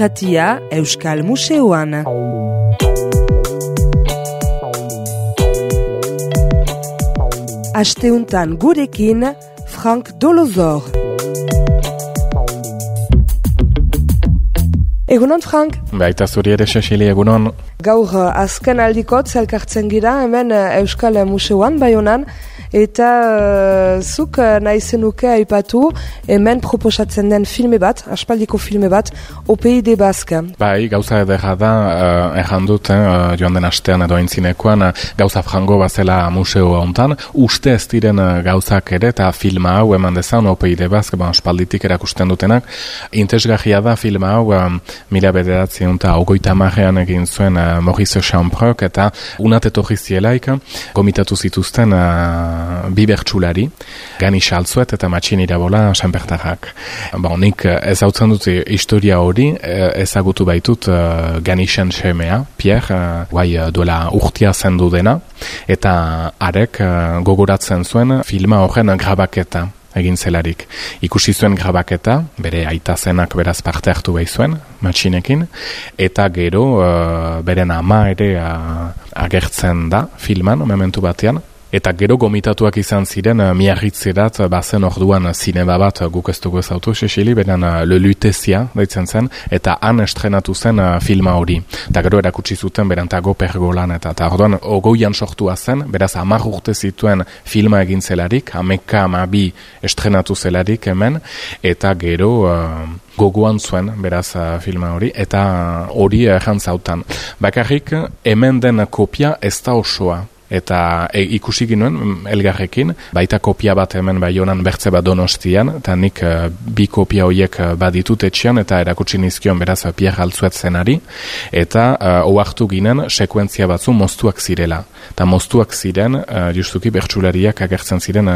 Irratia Euskal Museoan. Asteuntan gurekin Frank Dolozor. Egunon, Frank? Baita zuri ere, Cecili, egunon. Gaur azken aldikot zelkartzen gira hemen Euskal Museoan, Baionan, eta zuk nahi zenuke aipatu hemen proposatzen den filme bat, aspaldiko filme bat, OPID Basque. Bai, gauza edera da, erran dut, joan den astean edo aintzinekoan, gauza frango bazela museo hontan, uste ez diren gauzak ere, eta filma hau eman dezan, OPID Basque, aspalditik erakusten dutenak, intesgarria da filma hau, mila bederatzen eta ogoita marrean egin zuen Maurice Champrok, eta unat etorri zielaik, gomitatu zituzten bi bertsulari, Gani Xaltzuet eta Matxin Irabola Sanpertarrak. Nik ezautzen dut historia hori, ezagutu baitut Ganixen semea, Pierre, duela urtia zendu dena, eta arek gogoratzen zuen filma horren grabaketa egin zelarik. Ikusi zuen grabaketa, bere aita zenak beraz parte hartu behi zuen, Matxinekin, eta gero beren ama ere agertzen da filman, momentu batean, eta gero gomitatuak izan ziren miarritzerat bazen orduan zinema bat guk ez dugu ezautu, Cecili, beren Le Lutezia daitzen zen, eta han estrenatu zen filma hori. Eta gero erakutsi zuten berantago pergolan, eta orduan ogoian sortua zen, beraz 10 urte zituen filma egin zelarik, 12 estrenatu zelarik hemen, eta gero gogoan zuen, beraz, filma hori, eta hori errantzautan. Bakarrik, hemen den kopia ez da osoa. Eta ikusi ginuen elgarrekin, baita kopia bat hemen Baionan bertze bat Donostian, eta nik bi kopia horiek baditut etxean, eta erakutsi nizkion beraz Pierre Altzuet zenari, eta ohartu ginen sekuentzia batzu moztuak zirela. Eta moztuak ziren, justuki bertsulariak agertzen ziren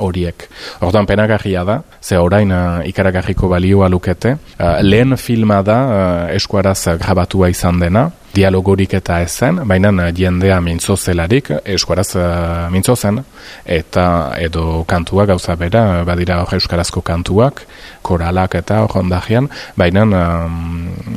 horiek. Orduan penagarria da, ze orain ikaragarriko balioa lukete. Lehen filma da eskuaraz grabatua izan dena, dialogorik eta ezen, baina jendea mintzo zelarik, eskuaraz mintzo zen, eta edo kantua gauza bera, badira hor euskarazko kantuak, koralak eta hor ondajean, baina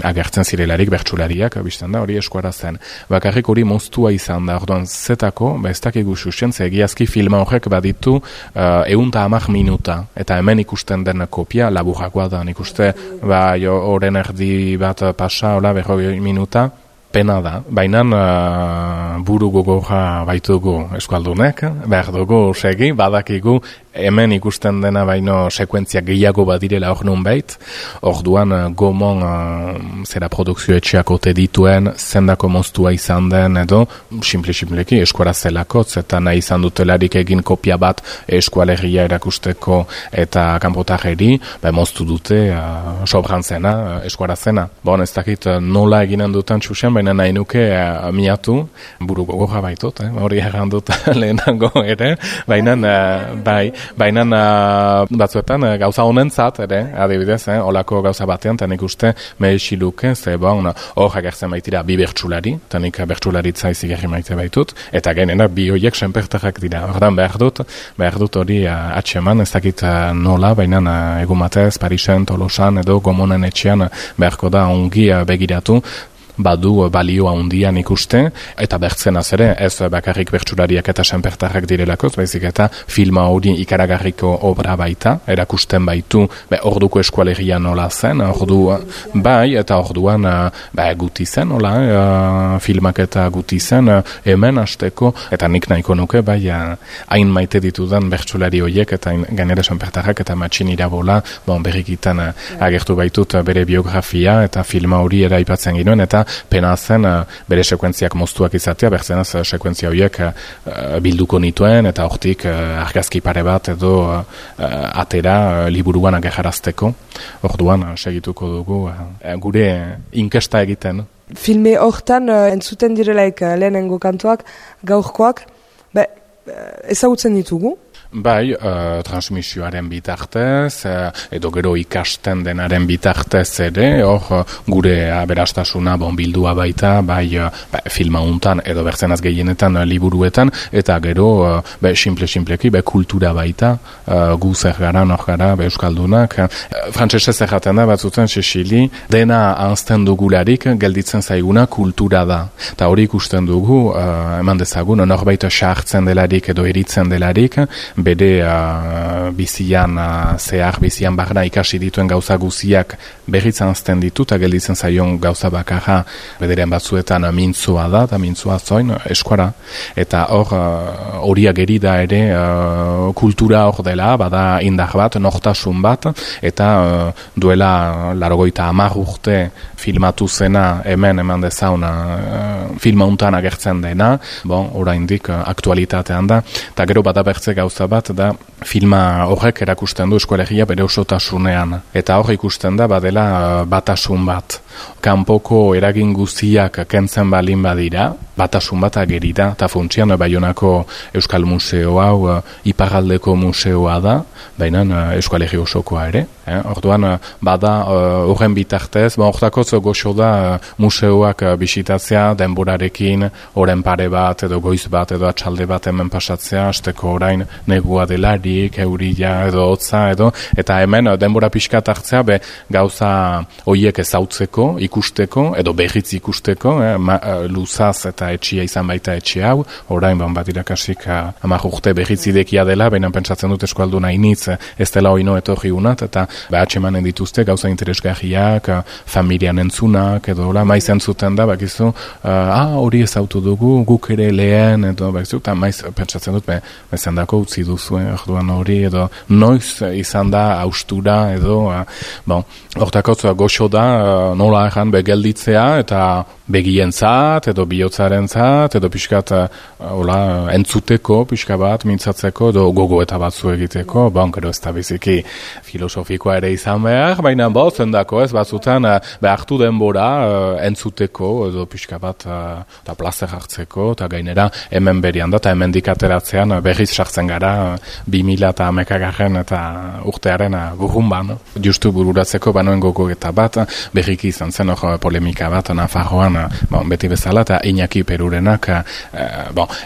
agertzen zirelarik bertsulariak, biztan da, hori eskuaraz zen. Bakarrik hori moztua izan da, orduan zetako, ez dakigu xuxen, ze egiazki filma horrek baditu 110 minuta, eta hemen ikusten den kopia laburrakoa da, nik uste, horren erdi bat pasa, 40 minuta, pena da, baina buru gogorra baitugu eskualdunek, behar dugu segi, badakigu, hemen ikusten dena baino sekuentzia gehiago badirela hor nun bait, orduan gomon zera produkzio etxeak ote dituen, zendako moztua izan den edo, simpleki eskuara zelakotz, eta nahi izan dutelarik egin kopia bat eskualegia erakusteko eta kanpotarreri, moztu dute sobran zena, eskuara zena. Bon, ez dakit nola eginen dutan txusen, baina nahi nuke miatu, buru gogorra baitut, hori errandut lehenago ere, baina batzuetan gauza honentzat ere, adibidez, olako gauza batean, eta nik uste mehixiluke, ze hor agertzen baitira bi bertsulari, eta nik bertsularitza izigarri maite baitut, eta genera bi horiek senpertarrak dira. Ordan behar dut hori atxeman, ez dakit nola, baina egun batez, Parisen, Tolosan edo Gomonen etxean beharko da ongi begiratu, badu balioa handian ikuste, eta bertzenaz ere, ez bakarrik bertsulariak eta senpertarrak direlakoz, baizik eta filma hori ikaragarriko obra baita, erakusten baitu, orduko eskualegia nola zen, eta orduan guti zen, filmak eta guti zen, hemen hasteko, eta nik nahiko nuke, hain maite ditudan bertsulari horiek, eta gainera senpertarrak eta Matxin Irabola, berrikitan agertu baitut bere biografia, eta filma hori eraipatzen ginoen, eta pena zen bere sekuentziak moztuak izatea, berzenaz sekuentzia horiek bilduko nituen, eta hortik argazki pare bat edo atera liburuan agerrarazteko. Orduan segituko dugu gure inkesta egiten. Filme hortan entzuten direlaik lehenengo kantuak, gaurkoak, ezagutzen ditugu? Bai, transmisioaren bitartez, edo gero ikasten denaren bitartez ere, hor gure aberastasuna bildua baita, bai filma untan edo bertzenaz gehienetan liburuetan, eta gero simpleki kultura baita, gu zer gara, nor gara, euskaldunak. Frantsesez erraten da batzutzen Cecili, dena anzten dugularik gelditzen zaiguna kultura da. Eta hori ikusten dugu, eman dezagun, norbait sartzen delarik edo eritzen delarik, bere bizian barna ikasi dituen gauza guziak berriz anzten ditu, eta gelditzen zaion gauza bakarra bederen batzuetan mintzua da, eta mintzua zoin eskuara. Eta horiak gerida ere kultura hor dela, bada indar bat, nortasun bat, eta duela 80 urte filmatu zena hemen eman dezauna filma untan agertzen dena, oraindik aktualitatean da, eta gero bada bertze gauza bat, da filma horrek erakusten du eskolegia bere osotasunean, eta hor ikusten da badela batasun bat. Kanpoko eragin guztiak kentzen balin badira, batasun bat ageri da, eta funtsian Baionako Euskal Museo hau iparraldeko museoa da, baina eskualegi osokoa ere. Orduan, bada horren bitartez, hortakotz goxo da museoak bisitatzea denborarekin, oren pare bat, edo goiz bat, edo atxalde bat hemen pasatzea, asteko orain negua delarik, eurila, edo hotza, eta hemen denbora pixkat hartzea, gauza hoiek ezautzeko, ikusteko, edo berriz ikusteko, luzaz eta etxia izan baita etxe hau, orain bat irakasik 10 urte berriz idekia dela, baina pentsatzen dut eskualduna initz, ez dela oino etorri unat, eta atxemanen dituzte gauza interesgarriak, familian entzunak, edo maiz entzuten da, bakizu, hori ezautu dugu, guk ere lehen, edo bakizu, eta maiz pentsatzen dut, bezendako utzi duzu, orduan hori, edo noiz izan da austura, edo, hortakotz goxo da, nola erran begelditzea, eta begientzat, edo bihotzarentzat, edo pixkat entzuteko, pixka bat, mintzatzeko, edo gogo eta batzu egiteko, gero ez da biziki filosofikoa ere izan behar, baina zendako ez batzutan behartu denbora entzuteko, edo pixka bat eta plazer hartzeko, eta gainera hemen berian da, eta hemen dikateratzean berriz sartzen gara 2011 eta urtearen gurrunban. Justu bururatzeko banoen gogo eta bat, berriki izan zen polemika bat Nafarroan, beti bezala, eta Iñaki Perurenak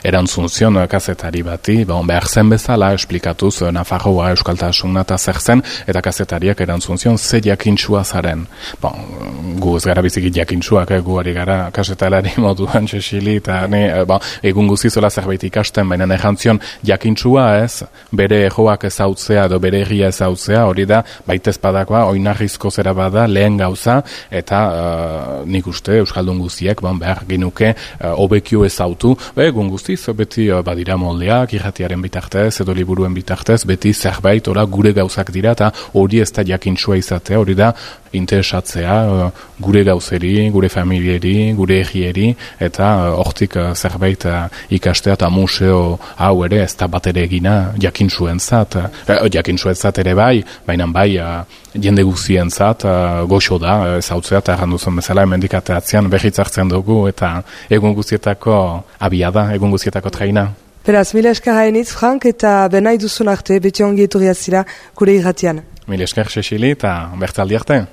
erantzun zion kazetari bati, behar zen bezala esplikatuz Nafarroa euskaltasuna eta zer zen, eta kazetariak erantzun zion ze jakintsua zaren. Gu ez gara biziki jakintsuak, gu ari gara kasetalari moduan Cecili, eta egun guzizola zerbait ikasten, baina erantzion jakintsua ez, bere joak ezautzea edo bere egia ezautzea, hori da, baitezpadakoa, oinarrizko zera bada, lehen gauza, eta nik uste euskaldun guztiek, behar ginuke hobekio ezautu, egun guztiz, beti badira moldeak, irratiaren bitartez, edo liburuen bitartez, beti zerbait, gure gauzak dira, eta hori ez da jakintsua izatea, hori da interesatzea gure gauzeri, gure familieri, gure egieri, eta hortik zerbait ikastea, eta museo hau ere ez da bat ere egina jakintsuentzat ere bai, baina bai jende guztientzat goxo da ezautzea, eta erranduzun bezala emendikateatzean berriz hartzen dugu, eta egun guztietako abiada, egun guztietako traina. Beraz, mila esker hainitz, Frank, eta benai duzun arte, beti ongi etorri azira, gure irratian. Mila esker, Cecili, eta bertzaldi arte.